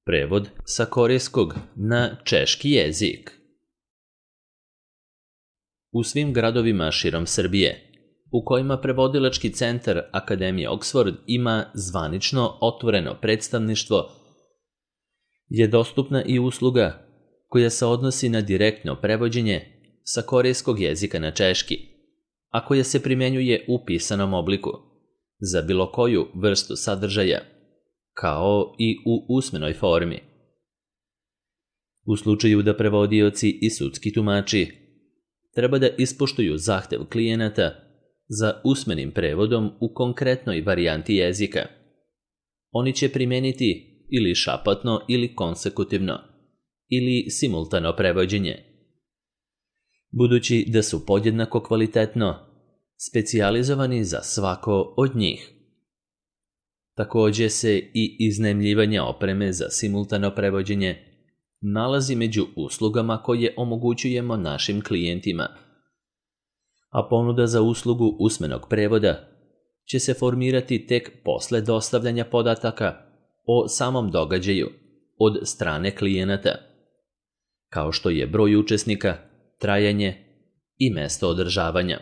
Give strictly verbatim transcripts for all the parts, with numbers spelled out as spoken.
Prevod sa korejskog na češki jezik. U svim gradovima širom Srbije, u kojima prevodilački centar Akademije Oxford ima zvanično otvoreno predstavništvo, je dostupna i usluga koja se odnosi na direktno prevođenje sa korejskog jezika na češki, a koja se primenjuje u pisanom obliku za bilo koju vrstu sadržaja, kao i u usmenoj formi. U slučaju da prevodioci i sudski tumači treba da ispoštuju zahtev klijenata za usmenim prevodom u konkretnoj varijanti jezika, oni će primeniti ili šapatno ili konsekutivno ili simultano prevođenje, budući da su podjednako kvalitetno specijalizovani za svako od njih. Takođe se i iznajmljivanje opreme za simultano prevođenje nalazi među uslugama koje omogućujemo našim klijentima, a ponuda za uslugu usmenog prevoda će se formirati tek posle dostavljanja podataka o samom događaju od strane klijenata, kao što je broj učesnika, trajanje i mesto održavanja.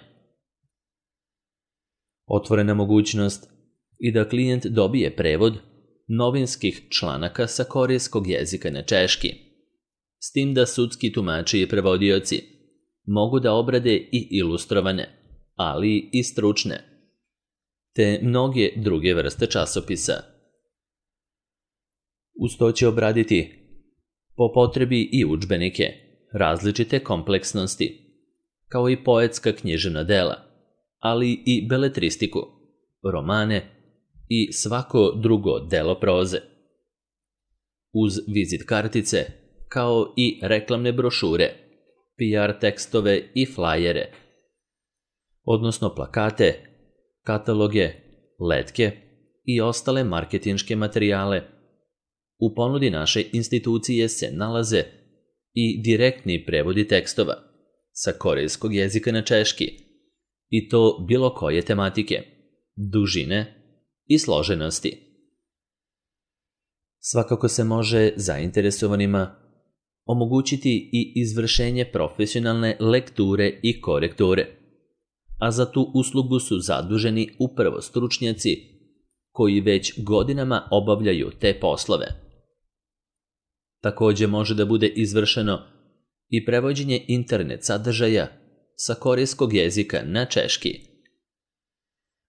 Otvorena mogućnost i da klijent dobije prevod novinskih članaka sa korejskog jezika na češki, s tim da sudski tumači i prevodioci mogu da obrade i ilustrovane, ali i stručne, te mnoge druge vrste časopisa. Uz to će obraditi po potrebi i udžbenike različite kompleksnosti, kao i poetska književna dela, ali i beletristiku, romane i svako drugo delo proze. Uz vizit kartice, kao i reklamne brošure, P R tekstove i flajere, odnosno plakate, kataloge, letke i ostale marketinške materijale. U ponudi naše institucije se nalaze i direktni prevodi tekstova sa korejskog jezika na češki, i to bilo koje tematike, dužine i složenosti. Svakako se može zainteresovanima omogućiti i izvršenje profesionalne lekture i korekture, a za tu uslugu su zaduženi upravo stručnjaci koji već godinama obavljaju te poslove. Takođe može da bude izvršeno i prevođenje internet sadržaja sa korejskog jezika na češki.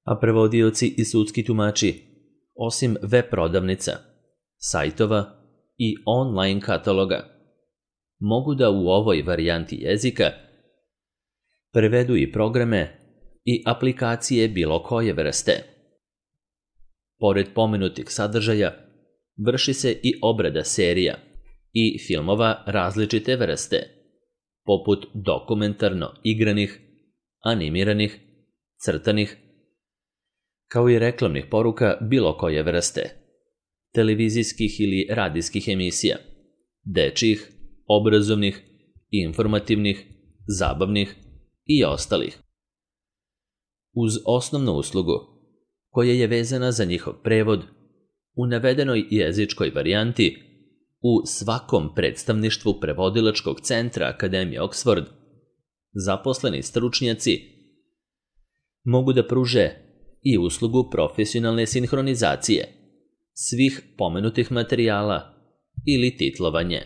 A prevodioci i sudski tumači, osim web prodavnica, sajtova i online kataloga, mogu da u ovoj varijanti jezika prevedu i programe i aplikacije bilo koje vrste. Pored pomenutih sadržaja, vrši se i obrada serija i filmova različite vrste, poput dokumentarno igranih, animiranih, crtanih, kao i reklamnih poruka bilo koje vrste, televizijskih ili radijskih emisija, dečjih, obrazovnih, informativnih, zabavnih i ostalih. Uz osnovnu uslugu, koja je vezana za njihov prevod, u navedenoj jezičkoj varijanti, u svakom predstavništvu prevodilačkog centra Akademije Oxford, zaposleni stručnjaci mogu da pruže i uslugu profesionalne sinhronizacije svih pomenutih materijala ili titlovanje.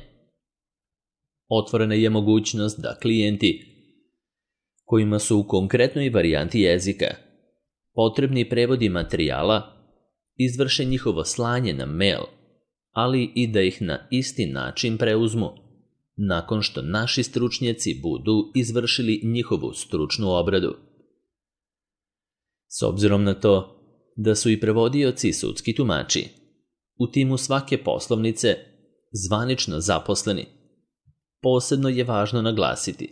Otvorena je mogućnost da klijenti kojima su u konkretnoj varijanti jezika potrebni prevodi materijala izvrše njihovo slanje na mail, ali i da ih na isti način preuzmu, nakon što naši stručnjaci budu izvršili njihovu stručnu obradu. S obzirom na to da su i prevodioci i sudski tumači u timu svake poslovnice zvanično zaposleni, posebno je važno naglasiti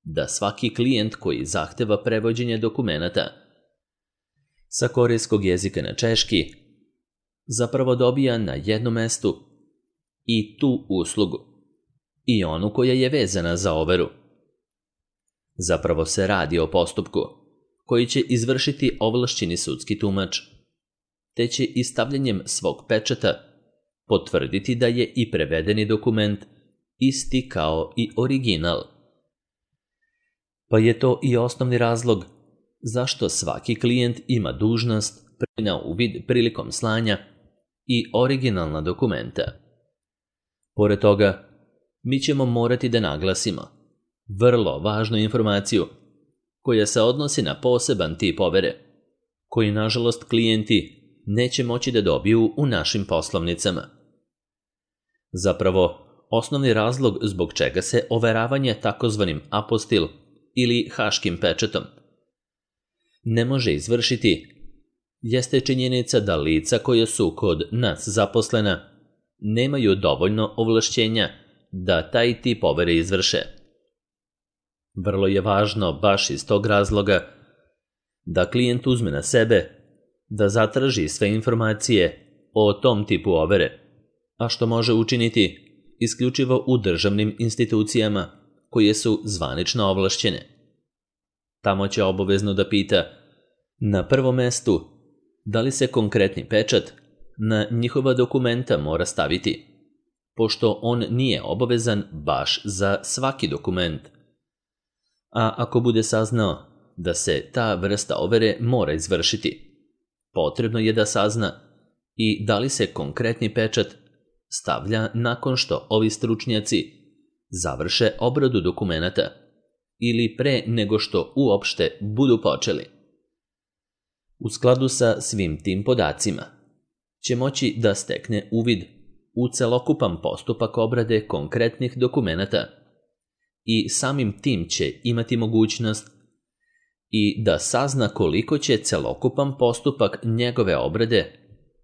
da svaki klijent koji zahteva prevođenje dokumenata sa korejskog jezika na češki zapravo dobija na jednom mestu i tu uslugu i onu koja je vezana za overu. Zapravo se radi o postupku koji će izvršiti ovlašćeni sudski tumač, te će i stavljanjem svog pečata potvrditi da je i prevedeni dokument isti kao i original. Pa je to i osnovni razlog zašto svaki klijent ima dužnost na uvid prilikom slanja i originalna dokumenta. Pored toga, mi ćemo morati da naglasimo vrlo važnu informaciju koja se odnosi na poseban tip overe, koji nažalost klijenti neće moći da dobiju u našim poslovnicama. Zapravo, osnovni razlog zbog čega se overavanje takozvanim apostil ili haškim pečatom ne može izvršiti jeste činjenica da lica koja su kod nas zaposlena nemaju dovoljno ovlašćenja da taj tip overe izvrše. Vrlo je važno baš iz tog razloga da klijent uzme na sebe da zatraži sve informacije o tom tipu overe, a što može učiniti isključivo u državnim institucijama koje su zvanično ovlašćene. Tamo će obavezno da pita na prvom mestu da li se konkretni pečat na njihova dokumenta mora staviti, pošto on nije obavezan baš za svaki dokument. A ako bude saznao da se ta vrsta overe mora izvršiti, potrebno je da sazna i da li se konkretni pečat stavlja nakon što ovi stručnjaci završe obradu dokumenata ili pre nego što uopšte budu počeli. U skladu sa svim tim podacima će moći da stekne uvid u celokupan postupak obrade konkretnih dokumenata i samim tim će imati mogućnost i da sazna koliko će celokupan postupak njegove obrade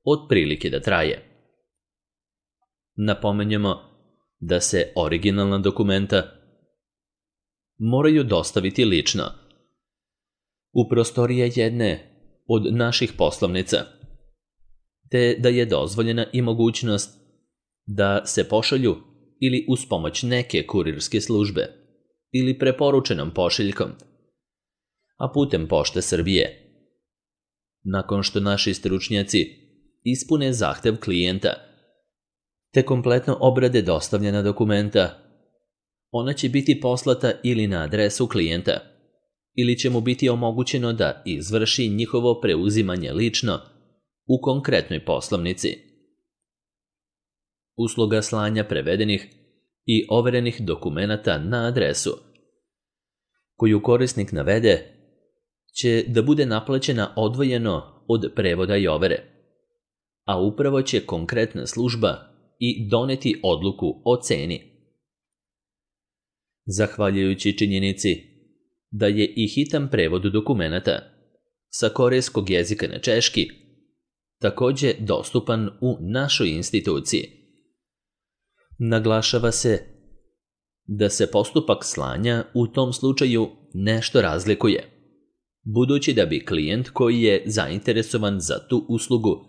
otprilike da traje. Napomenjemo da se originalna dokumenta moraju dostaviti lično u prostorije jedne od naših poslovnica, te da je dozvoljena i mogućnost da se pošalju ili uz pomoć neke kurirske službe ili preporučenom pošiljkom, a putem Pošte Srbije. Nakon što naši stručnjaci ispune zahtev klijenta te kompletno obrade dostavljena dokumenta, ona će biti poslata ili na adresu klijenta, ili će mu biti omogućeno da izvrši njihovo preuzimanje lično u konkretnoj poslovnici. Usluga slanja prevedenih i overenih dokumenata na adresu koju korisnik navede će da bude naplaćena odvojeno od prevoda i overe, a upravo će konkretna služba i doneti odluku o ceni. Zahvaljujući činjenici da je i hitan prevod dokumenata sa korejskog jezika na češki takođe dostupan u našoj instituciji, naglašava se da se postupak slanja u tom slučaju nešto razlikuje, budući da bi klijent koji je zainteresovan za tu uslugu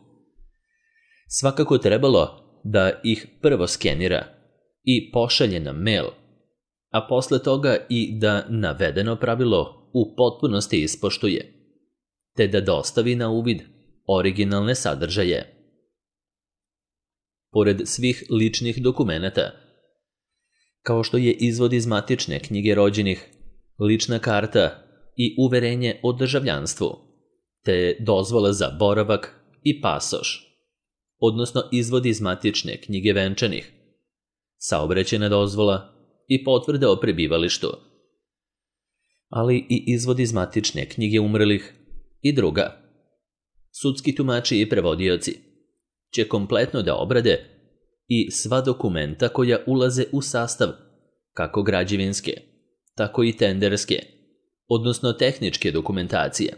svakako trebalo da ih prvo skenira i pošalje na mail, a posle toga i da navedeno pravilo u potpunosti ispoštuje, te da dostavi na uvid originalne sadržaje. Pored svih ličnih dokumenata, kao što je izvod iz matične knjige rođenih, lična karta i uverenje o državljanstvu, te dozvola za boravak i pasoš, odnosno izvod iz matične knjige venčanih, saobraćajna dozvola i potvrda o prebivalištu, ali i izvod iz matične knjige umrlih i druga. Sudski tumači i prevodioci će kompletno da obrade i sva dokumenta koja ulaze u sastav kako građevinske, tako i tenderske, odnosno tehničke dokumentacije,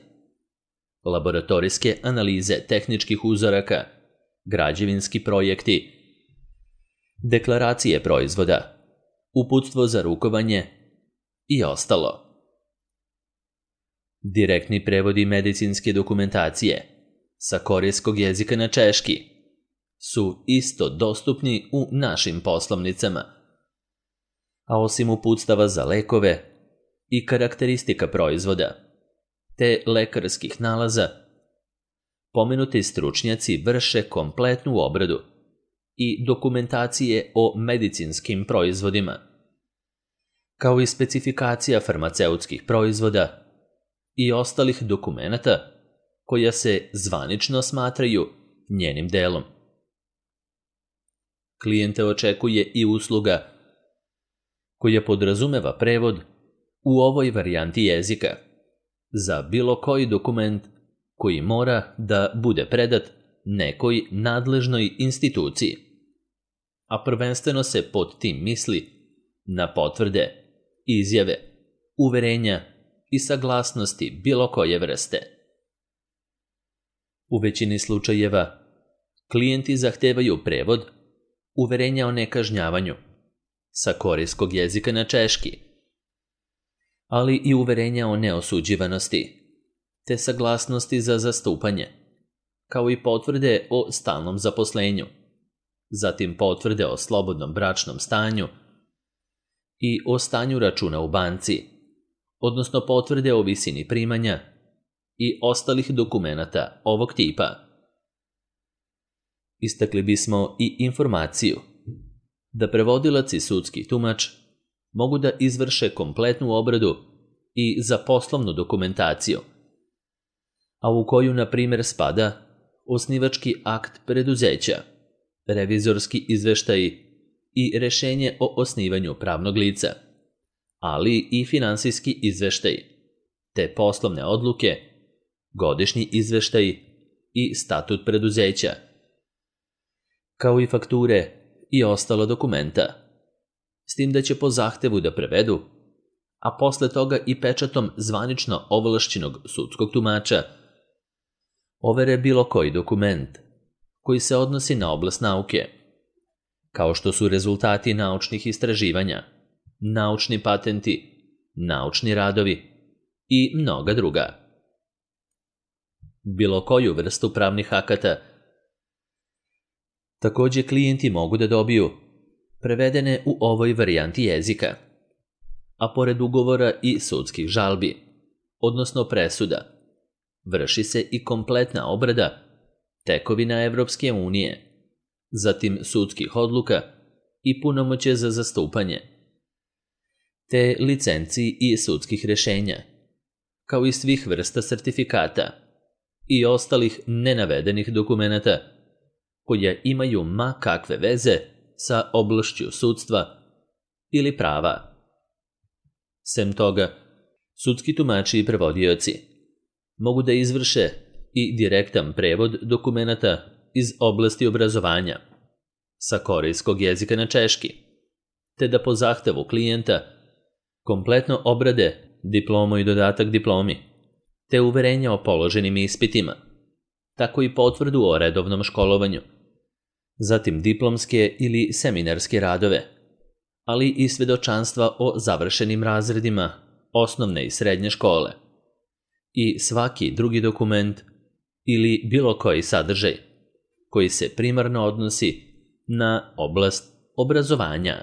laboratorijske analize tehničkih uzoraka, građevinski projekti, deklaracije proizvoda, uputstvo za rukovanje i ostalo. Direktni prevodi medicinske dokumentacije sa korejskog jezika na češki su isto dostupni u našim poslovnicama, a osim uputstava za lekove i karakteristika proizvoda, te lekarskih nalaza, pomenuti stručnjaci vrše kompletnu obradu i dokumentacije o medicinskim proizvodima, kao i specifikacija farmaceutskih proizvoda i ostalih dokumenata koja se zvanično smatraju njenim delom. Klijente očekuje i usluga koja podrazumeva prevod u ovoj varijanti jezika za bilo koji dokument koji mora da bude predat nekoj nadležnoj instituciji, a prvenstveno se pod tim misli na potvrde, izjave, uverenja i saglasnosti bilo koje vrste. U većini slučajeva klijenti zahtevaju prevod uverenja o nekažnjavanju sa korejskog jezika na češki, ali i uverenja o neosuđivanosti, te saglasnosti za zastupanje, kao i potvrde o stalnom zaposlenju, zatim potvrde o slobodnom bračnom stanju i o stanju računa u banci, odnosno potvrde o visini primanja i ostalih dokumenata ovog tipa. Istakli bismo i informaciju da prevodilac i sudski tumač mogu da izvrše kompletnu obradu i za poslovnu dokumentaciju, a u koju, na primjer, spada osnivački akt preduzeća, revizorski izveštaji i rešenje o osnivanju pravnog lica, ali i finansijski izveštaji, te poslovne odluke, godišnji izveštaji i statut preduzeća, kao i fakture i ostala dokumenta, s tim da će po zahtevu da prevedu, a posle toga i pečatom zvanično ovlašćenog sudskog tumača, overe bilo koji dokument koji se odnosi na oblast nauke, kao što su rezultati naučnih istraživanja, naučni patenti, naučni radovi i mnoga druga. Bilo koju vrstu pravnih akata također klijenti mogu da dobiju prevedene u ovoj varijanti jezika, a pored ugovora i sudskih žalbi, odnosno presuda, vrši se i kompletna obrada tekovina Evropske unije, zatim sudskih odluka i punomoćje za zastupanje, te licenci i sudskih rešenja, kao i svih vrsta sertifikata i ostalih nenavedenih dokumenata koja imaju ma kakve veze sa oblašću sudstva ili prava. Sem toga, sudski tumači i prevodioci mogu da izvrše i direktan prevod dokumenata iz oblasti obrazovanja sa korejskog jezika na češki, te da po zahtevu klijenta kompletno obrade diplomu i dodatak diplomi, te uverenja o položenim ispitima, tako i potvrdu o redovnom školovanju, zatim diplomske ili seminarske radove, ali i svedočanstva o završenim razredima osnovne i srednje škole i svaki drugi dokument ili bilo koji sadržaj koji se primarno odnosi na oblast obrazovanja.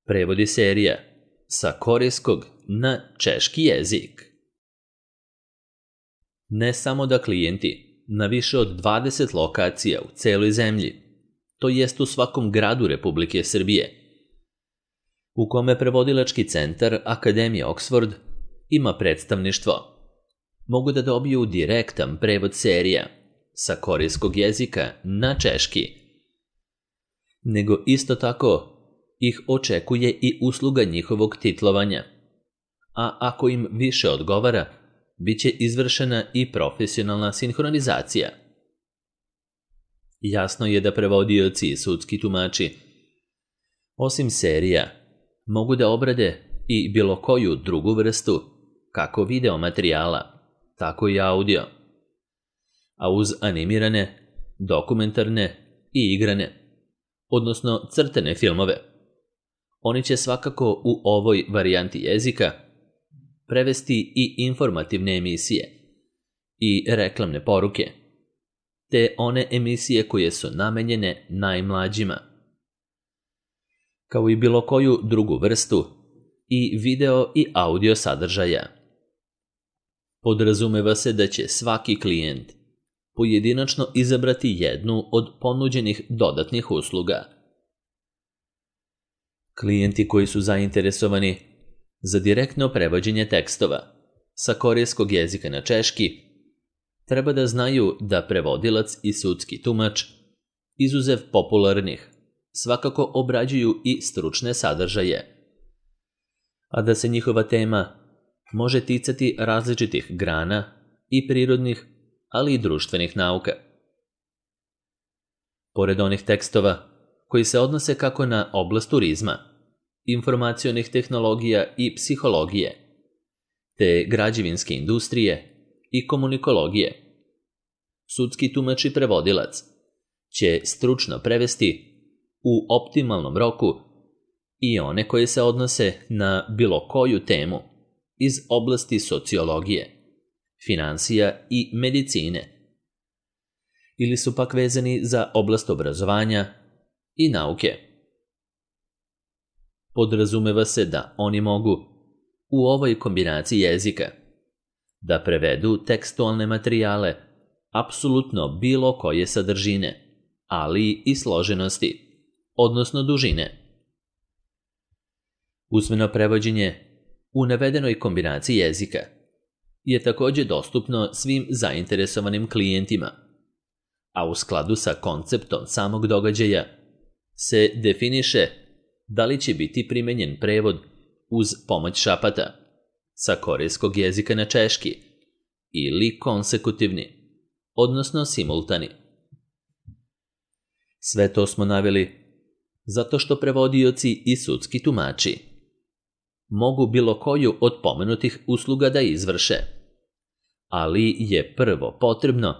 Prevodi serija sa korejskog na češki jezik. Ne samo da klijenti na više od dvadeset lokacija u celoj zemlji, to jest u svakom gradu Republike Srbije, u kome prevodilački centar Akademije Oxford ima predstavništvo, mogu da dobiju direktan prevod serija sa korejskog jezika na češki, nego isto tako ih očekuje i usluga njihovog titlovanja, a ako im više odgovara, bit će izvršena i profesionalna sinhronizacija. Jasno je da prevodioci i sudski tumači, osim serija, mogu da obrade i bilo koju drugu vrstu, kako video materijala, tako i audio, a uz animirane, dokumentarne i igrane, odnosno crtene filmove. Oni će svakako u ovoj varijanti jezika prevesti i informativne emisije i reklamne poruke, te one emisije koje su namenjene najmlađima, kao i bilo koju drugu vrstu i video i audio sadržaja. Podrazumeva se da će svaki klijent pojedinačno izabrati jednu od ponuđenih dodatnih usluga. Klijenti koji su zainteresovani za direktno prevođenje tekstova sa korejskog jezika na češki treba da znaju da prevodilac i sudski tumač, izuzev popularnih, svakako obrađuju i stručne sadržaje, a da se njihova tema može ticati različitih grana i prirodnih, ali i društvenih nauka. Pored onih tekstova koji se odnose kako na oblast turizma, informacionih tehnologija i psihologije, te građevinske industrije i komunikologije, sudski tumač i prevodilac će stručno prevesti u optimalnom roku i one koje se odnose na bilo koju temu iz oblasti sociologije, finansija i medicine, ili su pak vezani za oblast obrazovanja i nauke. Podrazumeva se da oni mogu u ovoj kombinaciji jezika da prevedu tekstualne materijale apsolutno bilo koje sadržine, ali i složenosti, odnosno dužine. Usmeno prevođenje u navedenoj kombinaciji jezika je također dostupno svim zainteresovanim klijentima, a u skladu sa konceptom samog događaja se definiše da li će biti primenjen prevod uz pomoć šapata sa korejskog jezika na češki ili konsekutivni, odnosno simultani. Sve to smo naveli zato što prevodioci i sudski tumači mogu bilo koju od pomenutih usluga da izvrše, ali je prvo potrebno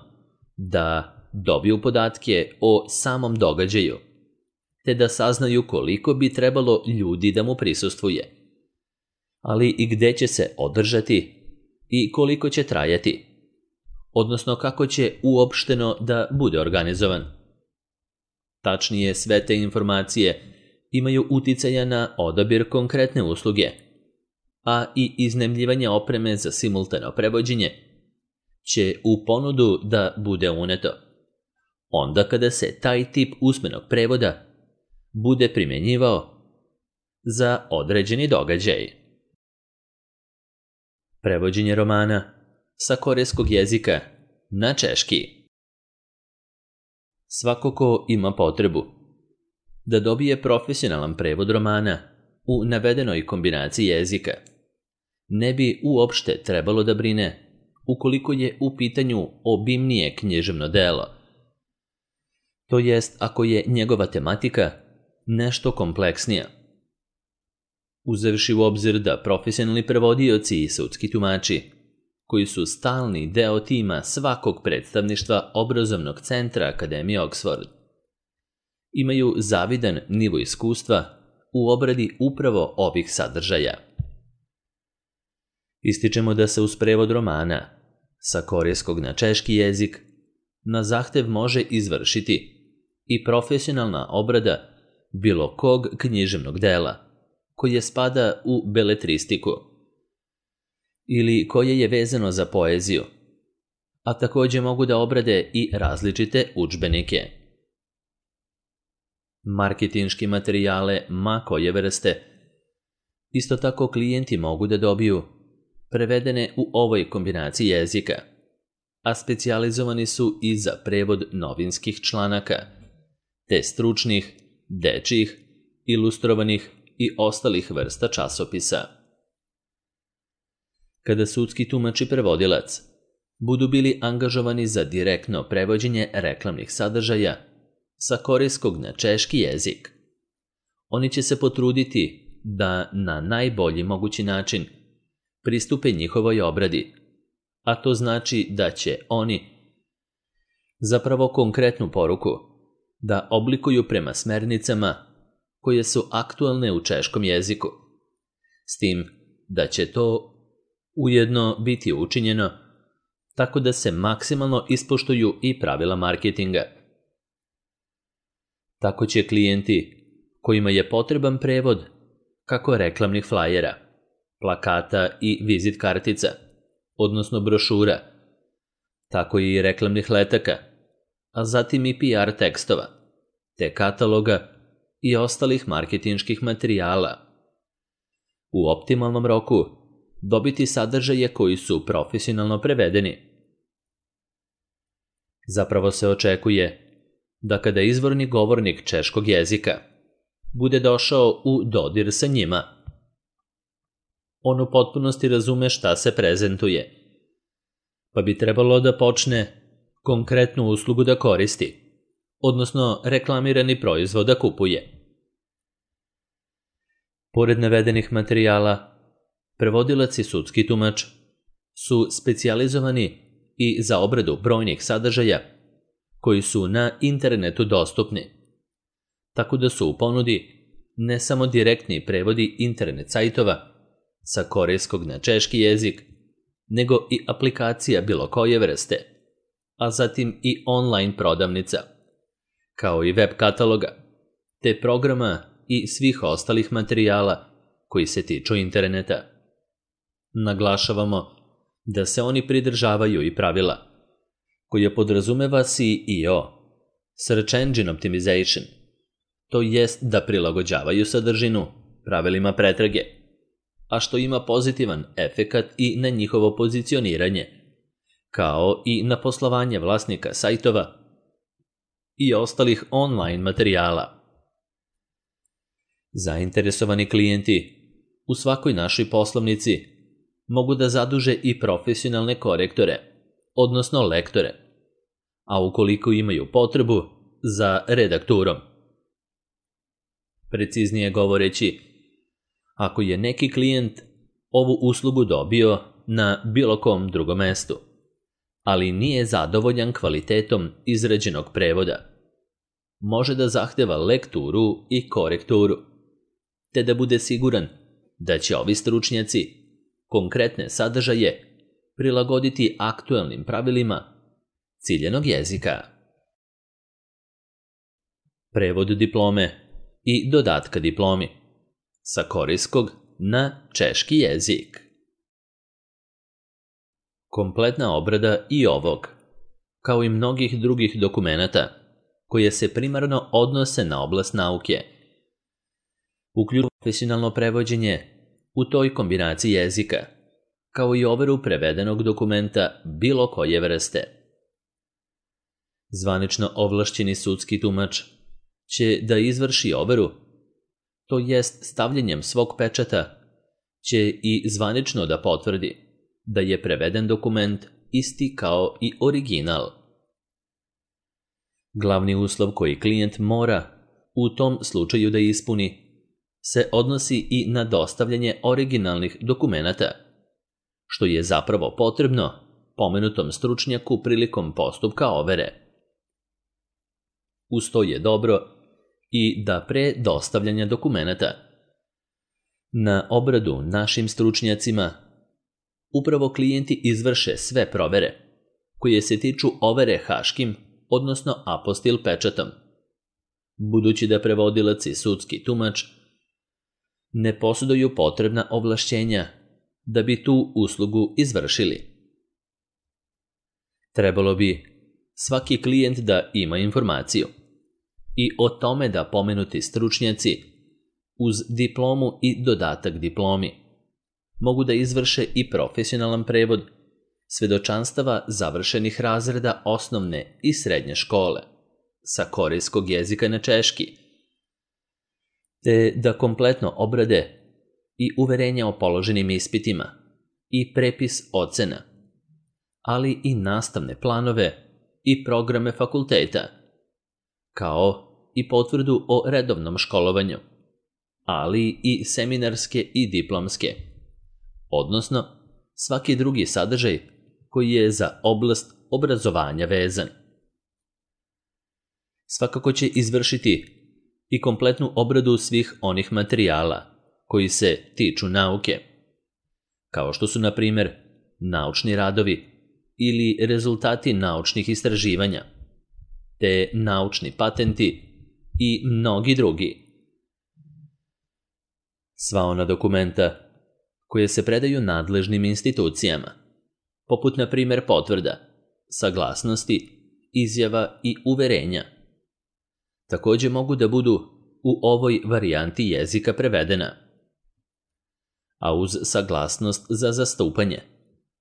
da dobiju podatke o samom događaju, te da saznaju koliko bi trebalo ljudi da mu prisustvuje, ali i gde će se održati i koliko će trajati, odnosno kako će uopšteno da bude organizovan. Tačnije, sve te informacije imaju uticaja na odabir konkretne usluge, a i iznajmljivanje opreme za simultano prevođenje će u ponudu da bude uneto, onda kada se taj tip usmenog prevoda bude primjenjivao za određeni događaj. Prevođenje romana sa korejskog jezika na češki. Svako ko ima potrebu da dobije profesionalan prevod romana u navedenoj kombinaciji jezika, ne bi uopšte trebalo da brine ukoliko je u pitanju obimnije književno delo, to jest ako je njegova tematika nešto kompleksnija. Uzevši u obzir da profesionalni prevodioci i sudski tumači, koji su stalni deo tima svakog predstavništva obrazovnog centra Akademije Oxford, imaju zavidan nivo iskustva u obradi upravo ovih sadržaja. Ističemo da se uz prevod romana sa korejskog na češki jezik na zahtev može izvršiti i profesionalna obrada bilo kog književnog dela koje spada u beletristiku ili koje je vezano za poeziju, a također mogu da obrade i različite udžbenike. Marketinški materijale ma koje vrste isto tako klijenti mogu da dobiju prevedene u ovoj kombinaciji jezika, a specijalizovani su i za prevod novinskih članaka, te stručnih, dečjih, ilustrovanih i ostalih vrsta časopisa. Kada sudski tumač i prevodilac budu bili angažovani za direktno prevođenje reklamnih sadržaja sa korejskog na češki jezik, oni će se potruditi da na najbolji mogući način pristupe njihovoj obradi, a to znači da će oni zapravo konkretnu poruku da oblikuju prema smernicama koje su aktualne u češkom jeziku, s tim da će to ujedno biti učinjeno tako da se maksimalno ispoštuju i pravila marketinga. Tako će klijenti kojima je potreban prevod kako reklamnih flajera, plakata i vizit kartica, odnosno brošura, tako i reklamnih letaka, a zatim i P R tekstova, te kataloga i ostalih marketinških materijala. U optimalnom roku dobiti sadržaje koji su profesionalno prevedeni. Zapravo se očekuje da kada izvorni govornik češkog jezika bude došao u dodir sa njima, on u potpunosti razume šta se prezentuje, pa bi trebalo da počne konkretnu uslugu da koristi, odnosno reklamirani proizvod da kupuje. Pored navedenih materijala, prevodilac i sudski tumač su specijalizovani i za obradu brojnih sadržaja koji su na internetu dostupni, tako da su u ponudi ne samo direktni prevodi internet sajtova sa korejskog na češki jezik, nego i aplikacija bilo koje vrste, a zatim i online prodavnica, kao i web kataloga, te programa i svih ostalih materijala koji se tiču interneta. Naglašavamo da se oni pridržavaju i pravila koje podrazumeva S E O, Search Engine Optimization, to jest da prilagođavaju sadržinu pravilima pretrage, a što ima pozitivan efekat i na njihovo pozicioniranje, kao i na poslovanje vlasnika sajtova i ostalih online materijala. Zainteresovani klijenti u svakoj našoj poslovnici mogu da zaduže i profesionalne korektore, odnosno lektore, a ukoliko imaju potrebu za redakturom. Preciznije govoreći, ako je neki klijent ovu uslugu dobio na bilo kom drugom mestu, ali nije zadovoljan kvalitetom izrađenog prevoda, može da zahteva lekturu i korekturu, te da bude siguran da će ovi stručnjaci konkretne sadržaje prilagoditi aktuelnim pravilima ciljanog jezika. Prevod diplome i dodatka diplomi sa korejskog na češki jezik. Kompletna obrada i ovog, kao i mnogih drugih dokumenata koje se primarno odnose na oblast nauke, uključuje profesionalno prevođenje u toj kombinaciji jezika, kao i overu prevedenog dokumenta bilo koje vrste. Zvanično ovlašćeni sudski tumač će da izvrši overu, to jest stavljanjem svog pečata će i zvanično da potvrdi da je preveden dokument isti kao i original. Glavni uslov koji klijent mora u tom slučaju da ispuni se odnosi i na dostavljanje originalnih dokumenata, što je zapravo potrebno pomenutom stručnjaku prilikom postupka overe. Uz to je dobro i da pre dostavljanja dokumenata na obradu našim stručnjacima upravo klijenti izvrše sve provere koje se tiču overe haškim, odnosno apostil pečatom, budući da prevodilac i sudski tumač ne posjeduju potrebna ovlašćenja da bi tu uslugu izvršili. Trebalo bi svaki klijent da ima informaciju i o tome da pomenuti stručnjaci uz diplomu i dodatak diplomi mogu da izvrše i profesionalan prevod svedočanstava završenih razreda osnovne i srednje škole sa korejskog jezika na češki, te da kompletno obrade i uverenja o položenim ispitima i prepis ocena, ali i nastavne planove i programe fakulteta, kao i potvrdu o redovnom školovanju, ali i seminarske i diplomske, odnosno svaki drugi sadržaj koji je za oblast obrazovanja vezan. Svakako će izvršiti i kompletnu obradu svih onih materijala koji se tiču nauke, kao što su, na primjer, naučni radovi ili rezultati naučnih istraživanja, te naučni patenti i mnogi drugi. Sva ona dokumenta koje se predaju nadležnim institucijama, poput, na primjer, potvrda saglasnosti, izjava i uverenja. Također mogu da budu u ovoj varijanti jezika prevedena. A uz saglasnost za zastupanje,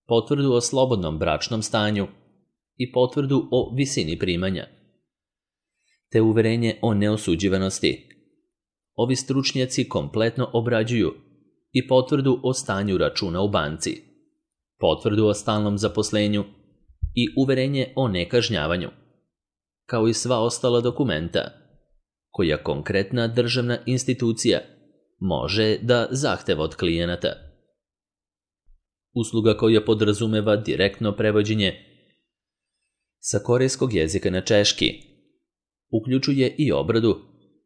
potvrdu o slobodnom bračnom stanju i potvrdu o visini primanja, te uverenje o neosuđivanosti, ovi stručnjaci kompletno obrađuju i potvrdu o stanju računa u banci, potvrdu o stalnom zaposlenju i uverenje o nekažnjavanju, kao i sva ostala dokumenta koja konkretna državna institucija može da zahteva od klijenata. Usluga koja podrazumeva direktno prevođenje sa korejskog jezika na češki uključuje i obradu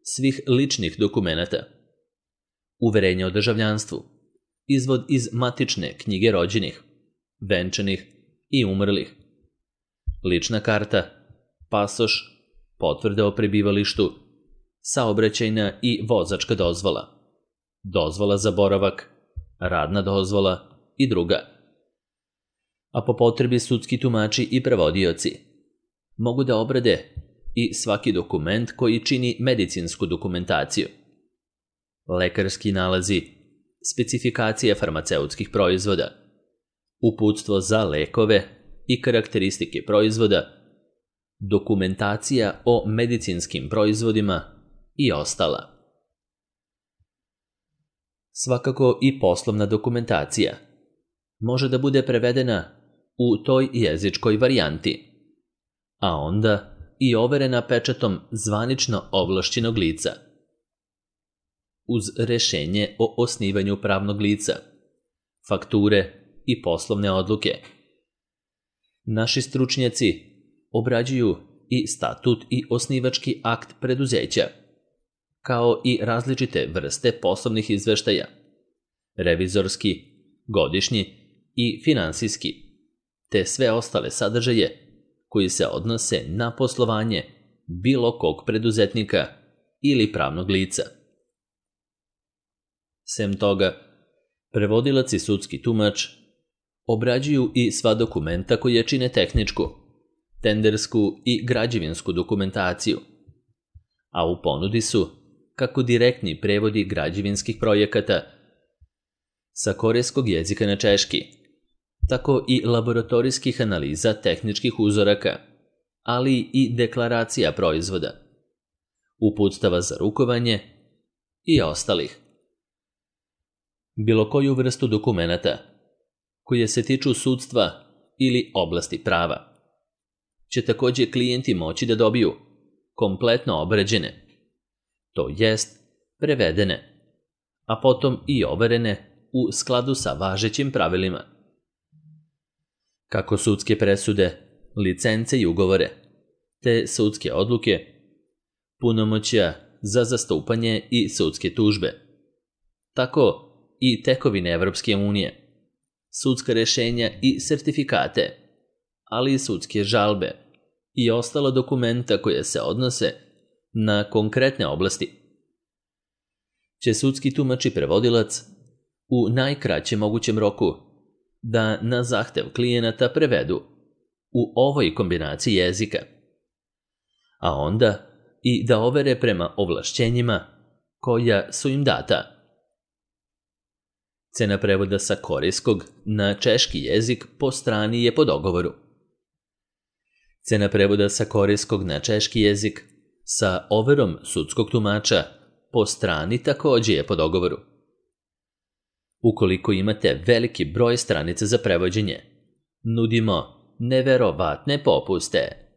svih ličnih dokumenata, uverenja o državljanstvu, izvod iz matične knjige rođenih, venčanih i umrlih, lična karta, pasoš, potvrda o prebivalištu, saobraćajna i vozačka dozvola, dozvola za boravak, radna dozvola i druga. A po potrebi sudski tumači i prevodioci mogu da obrade i svaki dokument koji čini medicinsku dokumentaciju, lekarski nalazi, specifikacije farmaceutskih proizvoda, uputstvo za lekove i karakteristike proizvoda, dokumentacija o medicinskim proizvodima i ostala. Svakako i poslovna dokumentacija može da bude prevedena u toj jezičkoj varijanti, a onda i overena pečatom zvanično ovlašćenog lica. Uz rešenje o osnivanju pravnog lica, fakture i poslovne odluke. Naši stručnjaci obrađuju i statut i osnivački akt preduzeća, kao i različite vrste poslovnih izveštaja, revizorski, godišnji i finansijski, te sve ostale sadržaje koji se odnose na poslovanje bilo kog preduzetnika ili pravnog lica. Sem toga, prevodilac i sudski tumač obrađuju i sva dokumenta koje čine tehničku, tendersku i građevinsku dokumentaciju, a u ponudi su kako direktni prevodi građevinskih projekata sa korejskog jezika na češki, tako i laboratorijskih analiza tehničkih uzoraka, ali i deklaracija proizvoda, uputstava za rukovanje i ostalih. Bilo koju vrstu dokumenata koje se tiču sudstva ili oblasti prava će također klijenti moći da dobiju kompletno obrađene, to jest prevedene, a potom i overene u skladu sa važećim pravilima. Kako sudske presude, licence i ugovore, te sudske odluke, punomoćja za zastupanje i sudske tužbe, tako i tekovine Evropske unije, sudska rešenja i sertifikate, ali i sudske žalbe i ostala dokumenta koje se odnose na konkretne oblasti, će sudski tumač i prevodilac u najkraćem mogućem roku da na zahtev klijenata prevedu u ovoj kombinaciji jezika, a onda i da overe prema ovlašćenjima koja su im data. Cena prevoda sa korejskog na češki jezik po strani je po dogovoru. Cena prevoda sa korejskog na češki jezik sa overom sudskog tumača po strani također je po dogovoru. Ukoliko imate veliki broj stranica za prevođenje, nudimo neverovatne popuste.